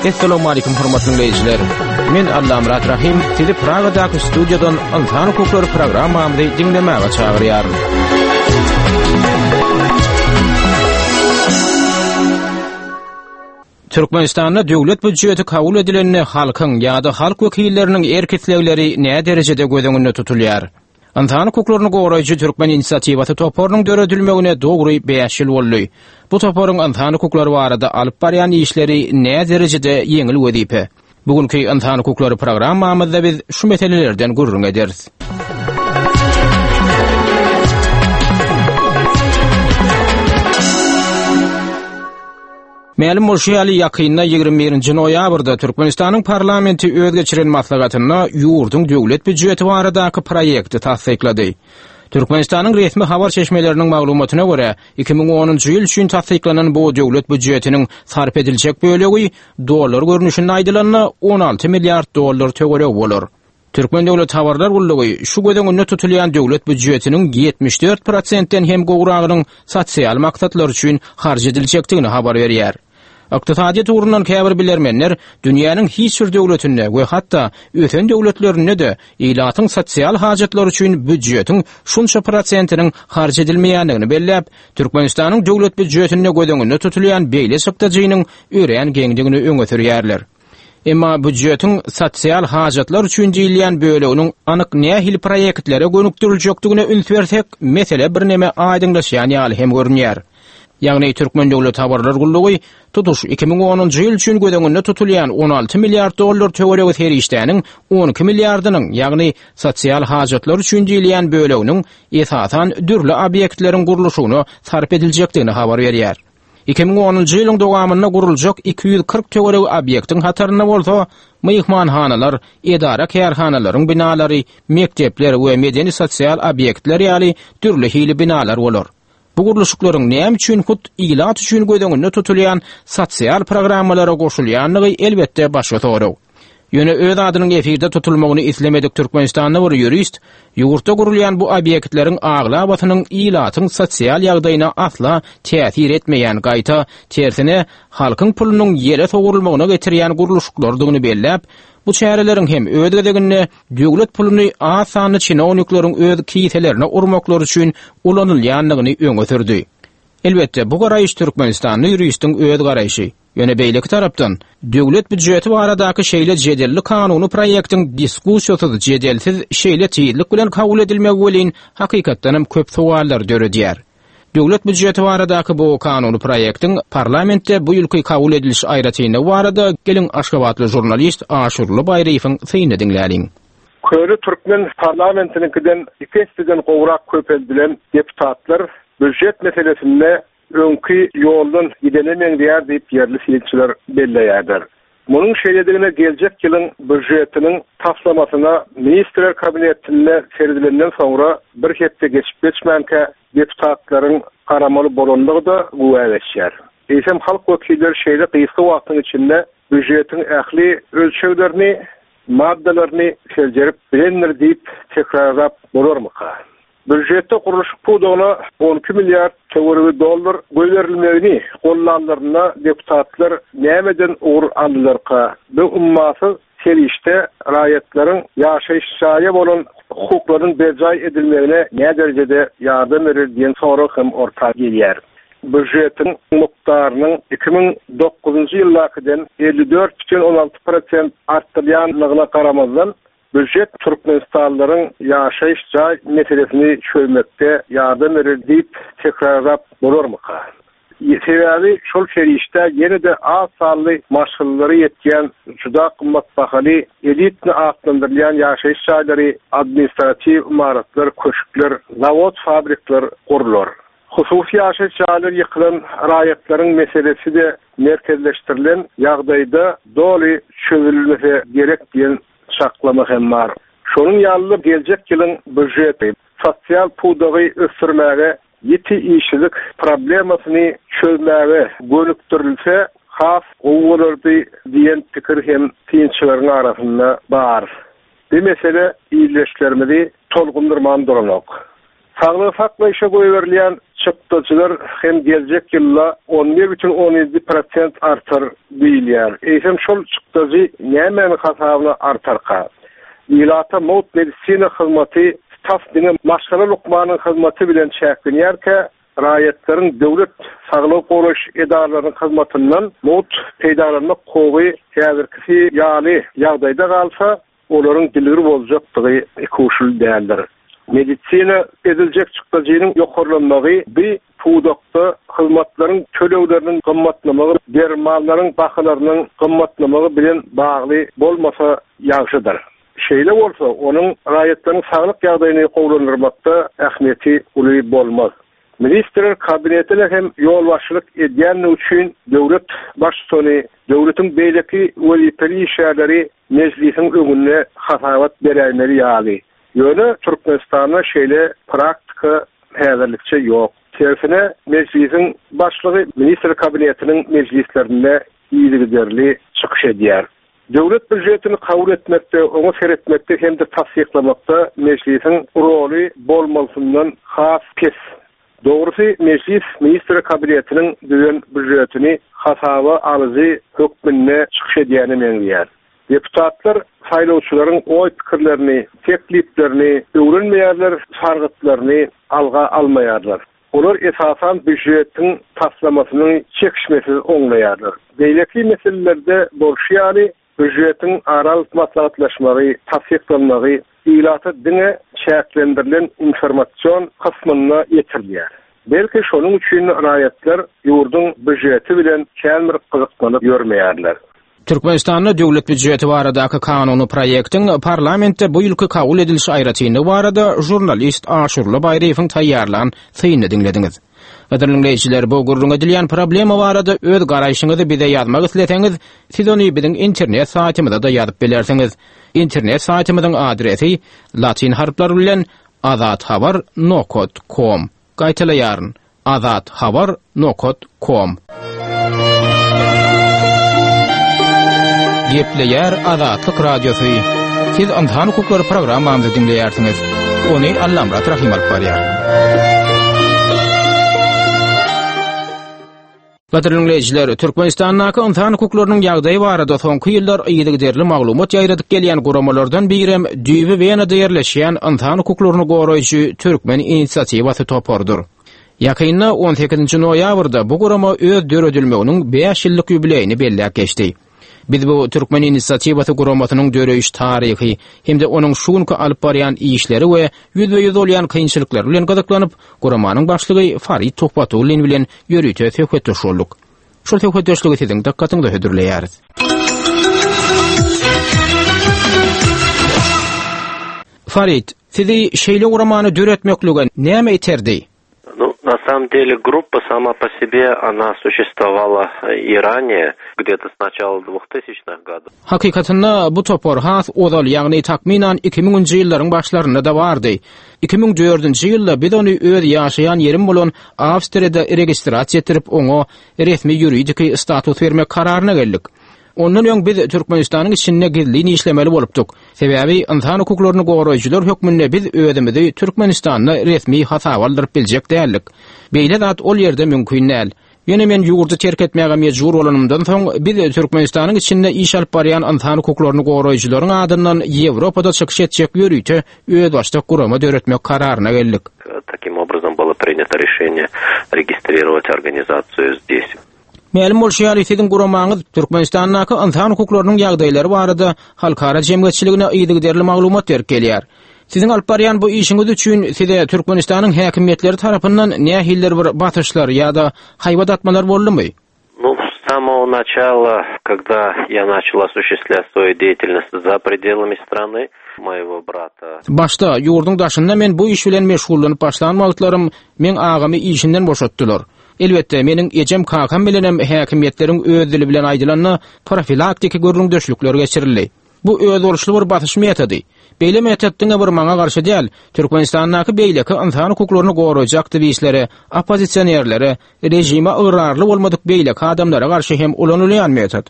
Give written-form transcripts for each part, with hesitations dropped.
Essalamu aleýkum hormatly diňleýjiler. Men Allamyrat Rahim sizi Pragadaky studiýadan Ynsan hukuklary programmamyzy diňlemäge çagyrýaryn. Türkmenistanda döwlet býujeti kabul edilende halkyň ýa-da halk wekilleriniň erk-islegleri näderejede göz öňünde tutulýar? Ynsan hukuklaryny goraýjy Türkmen inisiatiwasy toparynyň döredilmegine dogry bäş ýyl boldy. Bu toparyň ynsan hukuklary barada alyp barýan işleri näderejede ýeňil wezipe? Bu günki Ynsan hukuklary programmamyzda biz şu meselelerden gürrüň ederis. Mälim bolşy ýaly, ýakynda 21-nji noýabrda Türkmenistanyň parlamenti öz geçiren maslahatynda ýurduň döwlet býujeti baradaky proýekti tassyklady. Türkmenistanyň resmi habar çeşmeleriniň maglumatyna görä, 2010-njy ýyl üçin tassyklanan bu döwlet býujetiniň sarp ediljek bölegi dollar görnüşinde aýdylanda 16 milliard dollar töweregi bolar. Türkmen döwlet habarlar gullugy şu göz öňünde tutulýan döwlet býujetiniň 74 prosentden hem gowragynyň sosial maksatlar üçin harç ediljekdigini habar berýär. Ykdysadyýet ugrundan käbir bilermenler dünýäniň hiç bir döwletinde we hatda ösen döwletlerinde-de ilatyň sosial hajatlary üçin býujetiň şunça prosentiniň harç edilmeýändigini belläp, Türkmenistanyň döwlet býujetinde göz öňünde tutulýan beýle çykdajynyň örän geňdigini öňe sürýärler. Emma býujetiň sosial hajatlar üçin diýilýän böleginiň anyk nähili proýektlere gönükdiriljekdigine üns bersek, mesele birneme aýdyňlaşýan ýaly hem görünýär. Ýagny Türkmen döwlet habarlar gullugy tutuş 2010-njy ýyl üçin göz öňünde tutulýan 16 milliard dollar töweregi serişdäniň 12 milliardynyň, ýagny sosial hajatlar üçin diýilýän böleginiň esasan dürli obýektleriň gurluşygyna sarp ediljekdigini habar berýär. 2010-njy ýylyň dowamynda guruljak 240 töweregi obýektiň hatarynda bolsa myhmanhanalar, edara-kärhanalaryň binalary, mekdepler we medeni-sosial obýektler ýaly dürli hili binalar bolar. Bu gurluşyklaryň näme üçin hut ilat üçin göz öňünde tutulýan sosial programmalara goşulýandygy elbetde başga sorag. Ýöne öz adynyň efirde tutulmagyny islemedik türkmenistanly bir ýurist ýurtda gurulýan bu obýektleriň aglabasynyň ilatyň sosial ýagdaýyna asla täsir etmeýän, gaýta, tersine, halkyň pulunyň ýele sowurylmagyna getirýän gurluşyklardygyny belläp, bu çäreleriň hem öz gezeginde döwlet puluny az sanly çinownikleriň öz kiselerine urmaklary üçin ulanylýandygyny öňe sürdi. Elbetde, bu garaýyş türkmenistanly ýuristiň öz garaýşy. Ýöne beýleki tarapdan, döwlet býujeti baradaky şeýle jedelli kanuny proýektiň diskussiýasyz, jedelsiz şeýle tizlik bilen kabul edilmegi welin, hakykatdanam köp sowallary döredýär. Döwlet býujeti baradaky bu kanuny proýektiň parlamentde bu ýylky kabul ediliş aýratynlygy barada geliň aşgabatly žurnalist Aşyrly Baýryýewiň synyny diňläliň. Köne türkmen parlamentiniňkiden iki esseden gowrak köpeldilen deputatlar býujet meselesinde öňki ýoldan gidene meňzeýär diýip, ýerli synçylar belleýärler. Munuň şeýledigine geljek ýylyň býujetiniň taslamasyna Ministrler Kabinetinde seredilenden soňra bir hepde geçip-geçmänkä deputatlaryň garamaly bolandygy-da güwä geçýär. Eýsem, halk wekilleri şeýle gysga wagtyň içinde býujetiň ähli ölçeglerini, maddalaryny seljerip bilendir diýip tekrarlap bolarmyka? Býujetde gurluşyk pudagyna 12 milliard töweregi dollar goýberilmegini gollanlarynda deputatlar nämeden ugur aldylarka? Bu ummasyz serişde raýatlaryň ýaşaýyş jaýa bolan hukuklarynyň berjaý edilmegine näderejede ýardam berer diýen sorag hem orta gelýär. Býujetiň mukdarynyň 2009-njy ýyldakydan 54,6 prosent artdyrylýandygyna garamazdan, Býujet türkmenistanlylaryň ýaşaýyş jaý meselesini çözmekde ýardam berer diýip tekrarlap bolarmyka? Sebäbi şol serişdä ýene-de az sanly maşgalalara ýetýän juda gymmat bahaly elitni atlandyrylýan ýaşaýyş jaýlary, administratiw ymaratlar, köşkler, zawod-fabrikler gurlar. Hususy ýaşaýyş jaýlary ýykylan raýatlaryň meselesi-de merkezleşdirilen ýagdaýda doly çözülmese gerek diýen çaklama hem bar. Şonuň ýaly-da geljek ýylyň býujeti sosial pudagy ösdürmäge, ýiti işsizlik problemasyny çözmäge gönükdirilse has gowy bolardy diýen pikir hem synçylaryň arasynda bar. Bu mesele ildeşlerimizi tolgundyrman duranok. Saglygy saklaýşa goýberilýän çykdajylar hem geljek ýylda 11,7 prosent artar diýilýär. Eýsem şol çykdajy nämäniň hasabyna artarka? Ilata mugt medisina hyzmaty tas diňe maşgala lukmanyň hyzmaty bilen çäklenýärkä, raýatlaryň döwlet saglygy goraýyş edaralarynyň hyzmatyndan mugt peýdalanmak hukugy häzirkisi ýaly ýagdaýda galsa, olaryň dilgir boljakdygy ikuçly däldir. Medisina ediljek çykdajynyň ýokarlanmagy bi pudakda hyzmatlaryň tölegleriniň gymmatlamagy, dermanlaryň bahalarynyň gymmatlamagy bilen bagly bolmasa ýagşydyr. Şeýle bolsa, onuň raýatlaryň saglyk ýagdaýyny gowulandyrmakda ähmiýeti uly bolmaz. Ministrler Kabinetine hem ýolbaşçylyk edýändigi üçin döwlet Baştutany, döwletiň beýleki wezipeli işgärleri Mejlisiň öňünde hasabat beräýmeli ýaly. Ýöne Türkmenistanda şeýle praktika häzirlikçe ýok. Tersine, Mejlisiň Başlygy Ministrler Kabinetiniň mejlislerinde yzygiderli çykyş edýär. Döwlet býujetini kabul etmekde, oňa seretmekde hem-de tassyklamakda Mejlisiň roly bolmalysyndan has pes. Dogrusy, Mejlis Ministrler Kabinetiniň düzen býujetini hasaba alyjy hökmünde çykyş edýäne meňzeýär. Deputatlar saýlawçylaryň oý-pikirlerini, tekliplerini öwrenmeýärler, sargytlaryny alga almaýarlar. Olar esasan býujetiň taslamasyny çekişmesiz oňlaýarlar. Beýleki meselelerde bolşy ýaly, býujetiň ara alyp maslahatlaşmagy, tassyklanmagy ilata diňe çäklendirilen informasion kysmynda ýetirilýär. Belki şonuň üçin raýatlar ýurduň býujeti bilen kän bir gyzyklanyp ýörmeýärler. Türkmenistanda döwlet býujeti baradaky kanuny proýektiň parlamentde bu ýylky kabul ediliş aýratynlygy barada žurnalist Aşurly Baýryýewiň taýýarlan synyny diňlediňiz. Gadyrly diňleýjiler, bu gürrüň edilýän problema barada öz garaýşyňyzy bize ýazmak isleseňiz, siz ony biziň internet saýtymyza-da ýazyp bilersiňiz. Internet saýtymyzyň adresi latyn harplary bilen azathabar nokat kom. Gaýtalaýaryn, Azat habar nokat kom. Gepleýär Azatlyk Radiosy. Siz Ynsan hukuklary programmamyzy diňleýärsiňiz. Ony Allamyrat Rahym alyp barýar. Gadyrly diňleýjiler, Türkmenistandaky ynsan hukuklarynyň ýagdaýy barada soňky ýyllar yzygiderli maglumat ýaýradyp gelýän guramalardan birem düýbi Wenada ýerleşýän ynsan hukuklaryny goraýjy Türkmen inisiatiwasy toparydyr. Ýakynda, on sekizinji noýabrda bu gurama öz döredilmeginiň bäş ýyllyk ýubileýini belläp geçdi. Biz bu Türkmen inisiatiwasy guramasynyň döreýiş taryhy hem-de onuň şu günki alyp barýan işleri we ýüzbe-ýüz bolýan kynçylyklary bilen gyzyklanyp, guramanyň başlygy Farid Tuhbatullin bilen ýörite söhbetdeş bolduk. Şol söhbetdeşligi siziň dykgatyňyza hödürleýäris. Farid, sizi şeýle guramany döretmeklige näme iterdi? Ну, на самом деле группа сама по себе, она существовала и ранее, где-то с начала 2000-х годов. Hakykatynda bu topar has ozal, ýagny takmynan 2000-nji ýyllaryň başlarynda-da bardy. 2004-nji ýylda biz ony öz ýaşaýan ýerim bolan Awstriýada registrasiýa etdirip, oňa resmi ýuridiki status bermek kararyna geldik. Ondan öň biz Türkmenistanyň içinde gizlin işlemeli bolupdyk. Sebäbi ynsan hukuklaryny goraýjylar hökmünde biz özümizi Türkmenistanda resmi hasaba aldyryp biljek däldik. Beýle zat ol ýerde mümkin däl. Ýöne men ýurdy terk etmäge mejbur bolanymdan soň, biz Türkmenistanyň içinde iş alyp barýan ynsan hukuklaryny goraýjylaryň adyndan Ýewropada çykyş etjek ýörite özbaşdak gurama döretmek kararyna geldik. Takim obrazom bylo prinyato rešeniye registrirovать organizatsiýu zdes. Mälim bolşy ýaly, siziň guramaňyz Türkmenistandaky ynsan hukuklarynyň ýagdaýlary barada halkara jemgyýetçiligine yzygiderli maglumat berip gelýär. Siziň alyp barýan bu işiňiz üçin size Türkmenistanyň häkimiýetleri tarapyndan nähilidir bir basyşlar ýa-da haýbat atmalar boldumy? Nu, s samogo načala, kogda ýa načal osušestvlýat svoýu deýatelnost za predelami strany, moýego brata. Başda, ýurduň daşynda men bu iş bilen meşgullanyp başlan wagtlarym meň agamy işinden boşatdylar. Elbetde, meniň ejem-kakam bilenem häkimiýetleriň öz dili bilen aýdylanda profilaktiki gürrüňdeşlikler geçirildi. Bu özboluşly bir basyş metody. Beýle metod diňe bir maňa garşy däl, Türkmenistandaky beýleki ynsan hukuklaryny goraýjy aktiwistlere, oppozisionerlere, režime ygrarly bolmadyk beýleki adamlara garşy hem ulanylýan metod.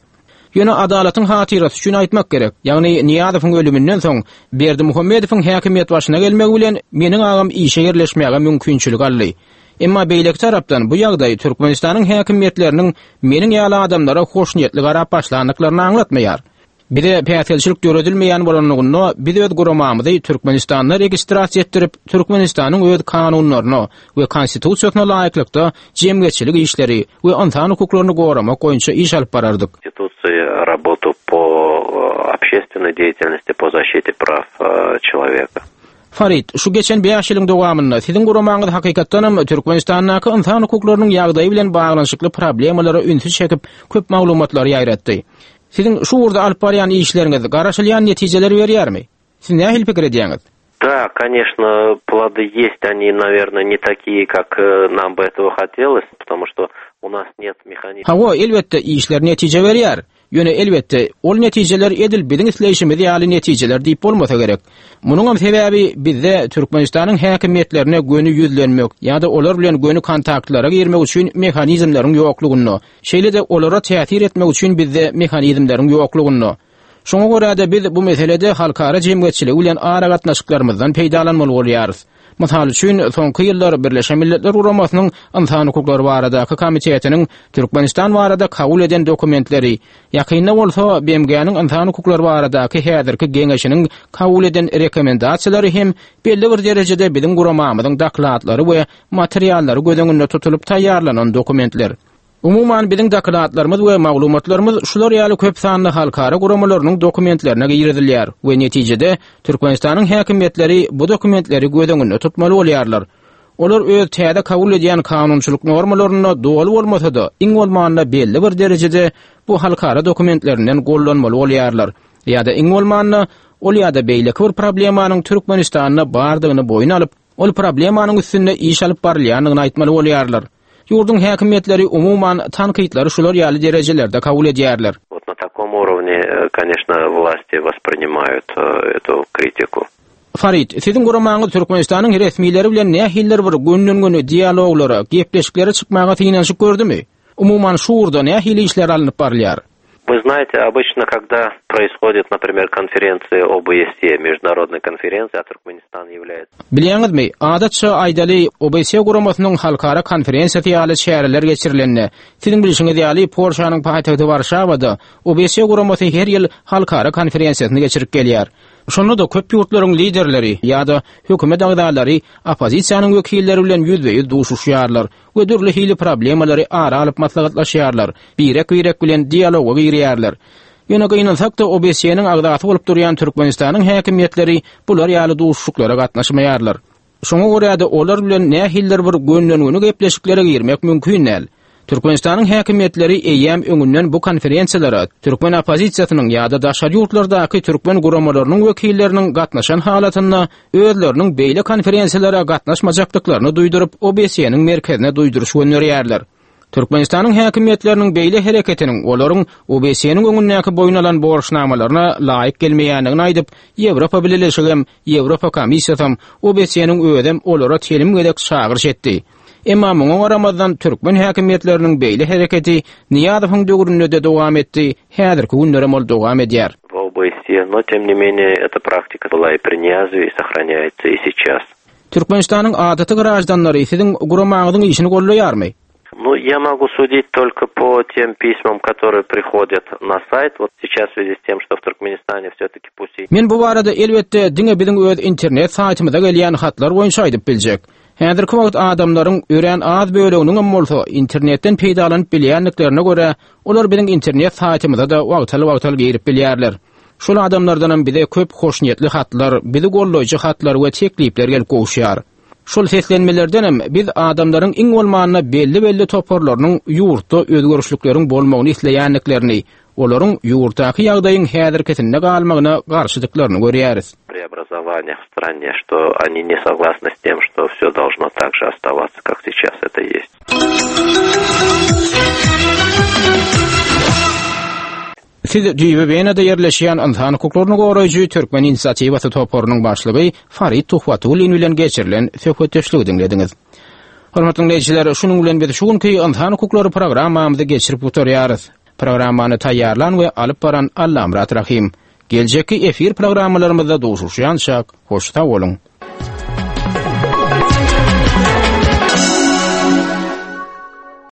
Ýöne adalatyň hatyrasy üçin aýtmak gerek, ýagny Nyýazowyň ölüminden soň Berdimuhamedowyň häkimiýet başyna gelmegi bilen meniň agam işe ýerleşmäge mümkinçilik aldy. Emma beýleki tarapdan bu ýagdaý Türkmenistanyň häkimiýetleriniň meniň ýaly adamlara hoşniýetli garap başlandyklaryny aňlatmaýar. Bize päsgelçilik döredilmeýän bolanlygynda biz öz guramamyzy Türkmenistanda registrasiýa etdirip, Türkmenistanyň öz kanunlaryna we Konstitusiýasyna laýyklykda jemgyýetçilik işleri we ynsan hukuklaryny goramak boýunça iş alyp barardyk. Konstitusiýa работу по общественной деятельности по защите прав человека. Farid, şu geçen bäş ýylyň dowamynda siziň guramaňyz hakykatdanam Türkmenistandaky ynsan hukuklarynyň ýagdaýy bilen baglanyşykly problemalara ünsi çekip, köp maglumatlary ýaýratdy. Siziň şu ugurda alyp barýan işleriňiz garaşylýan netijeleri berýärmi? Siz nähili pikir edýäňiz? Da, конечно, плоды есть, они, наверное, не такие, как нам бы этого хотелось, потому что у нас нет механизма. Hawa, elbetde, işler netije berýär. Ýöne, elbetde, ol netijeler edil biziň isleýşimiz ýaly netijeler diýip bolmasa gerek. Munuňam sebäbi bizde Türkmenistanyň häkimiýetlerine göni ýüzlenmek ýa-da olar bilen göni kontaktlara girmek üçin mehanizmleriň ýoklugynda. Şeýle-de olara täsir etmek üçin bizde mehanizmleriň ýoklugynda. Şoňa görä-de biz bu meselede halkara jemgyýetçiligi bilen aragatnaşyklarymyzdan peýdalanmaly bolýarys. Mysal üçin, soňky ýyllar Birleşen Milletler Guramasynyň Ynsan hukuklary baradaky komitetiniň Türkmenistan barada kabul eden dokumentleri, ýakynda bolsa BMG-niň Ynsan hukuklary baradaky häzirki Geňeşiniň kabul eden rekomendasiýalary hem belli bir derejede biziň guramamyzyň dokladlary we materiallary göz öňünde tutulyp taýýarlanan dokumentler. Umuman, biziň dokladlarymyz we maglumatlarymyz şular ýaly köp sanly halkara guramalarynyň dokumentlerine girizilýär we netijede Türkmenistanyň häkimiýetleri bu dokumentleri göz öňünde tutmaly bolýarlar. Olar öz täze kabul edýän kanunçylyk normalarynda doly bolmasa-da, iň bolmanda belli bir derejede bu halkara dokumentlerinden gollanmaly bolýarlar ýa-da iň bolmanda ol ýa-da beýleki bir problemanyň Türkmenistanda bardygyny boýun alyp, Ol problemanyň üstünde iş alyp barylýandygyny aýtmaly bolýarlar. Ýurduň häkimiýetleri umuman tankytlary şular ýaly derejelerde kabul edýärler. Wot na takom urovne, koneçno, wlasti wosprinimaýut etu kritiku. Farid, siziň guramaňyz Türkmenistanyň resmileri bilen nähilidir bir gönden-göni dialoglara, gepleşiklere çykmaga synanyşyp gördümi? Umuman şu ugurda nähili işler alnyp barylýar? Вы знаете, обычно, когда происходит, например, konferensiýa OBSE, международная konferensiýa, a Türkmenistan является. Bilýäňizmi, adatça, aýdaly, OBSE guramasynyň halkara konferensiýasy ýaly çäreler geçirilende, siziň bilşiňiz ýaly, Polşanyň paýtagty Warşawada OBSE guramasy her ýyl halkara konferensiýasyny geçirip gelýär. Şonda-da köp ýurtlaryň liderleri ýa-da hökümet agzalary oppozisiýanyň wekilleri bilen ýüzbe-ýüz duşuşýarlar we dürli hili problemalary ara alyp maslahatlaşýarlar, birek-birek bilen dialoga girýärler. Ýöne gynansak-da OBSE-niň agzasy bolup durýan Türkmenistanyň häkimiýetleri bular ýaly duşuşyklara gatnaşmaýarlar. Şoňa görä-de olar bilen nähilidir bir gönden-göni gepleşiklere girmek mümkin däl. Türkmenistanyň häkimiýetleri eýýäm öňünden bu konferensiýalara türkmen oppozisiýasynyň ýa-da daşary ýurtlardaky türkmen guramalarynyň wekilleriniň gatnaşan halatynda özleriniň beýle konferensiýalara gatnaşmajakdyklaryny duýduryp, OBSE-niň merkezine duýduryş gönderýärler. Türkmenistanyň häkimiýetleriniň beýle hereketiniň olaryň OBSE-niň öňündäki boýun alan borçnamalaryna laýyk gelmeýändigini aýdyp, Ýewropa Bileleşigem, Ýewropa Komissiýasam, OBSE-niň özem olara telim gezek çagyryş etdi. Emma muňa garamazdan türkmen häkimiýetleriniň beýle hereketi Nyýazowyň döwründe-de dowam etdi, häzirki günlerem ol dowam edýär. В OBSE, но тем не менее эта практика была и при Ниязове и сохраняется и сейчас. Türkmenistanyň adaty graždanlary siziň guramaňyzyň işini goldaýarmy? Ну, я могу судить только по тем письмам, которые приходят на сайт. Вот сейчас в связи с тем, что в Туркменистане все-таки пусть и... Men bu barada elbetde diňe biziň öz internet saýtymyza gelýän hatlar boýunça aýdyp biljek. Häzirki wagt adamlaryň örän az böleginiňem bolsa internetden peýdalanyp bilýändiklerine görä, olar biziň internet saýtymyza-da wagtal-wagtal girip bilýärler. Şol adamlardanam bize köp hoşniýetli hatlar, bizi goldaýjy hatlar we teklipler gelip gowuşýar. Şol seslenmelerdenem biz adamlaryň iň bolmanda belli-belli toparlarynyň ýurtda özgerişlikleriň bolmagyny isleýändiklerini, olaryň ýurtdaky ýagdaýyň häzirkisinde galmagyna garşydyklaryny görýäris. Преобразования в стране, что они не согласны с тем, что все должно так же оставаться, как сейчас это есть. Siz düýbi Wenada ýerleşýän ynsan hukuklaryny goraýjy Türkmen inisiatiwasy toparynyň başlygy Farid Tuhbatullin bilen geçirilen söhbetdeşligi diňlediňiz. Hormatly diňleýjiler, şunuň bilen biz şu günki Ynsan hukuklary programmamyzy geçirip gutarýarys. Programmany taýýarlan we alyp baran Allamyrat Rahym. Geljekki efir programmalarymyzda duşuşýançak, hoş sag boluň!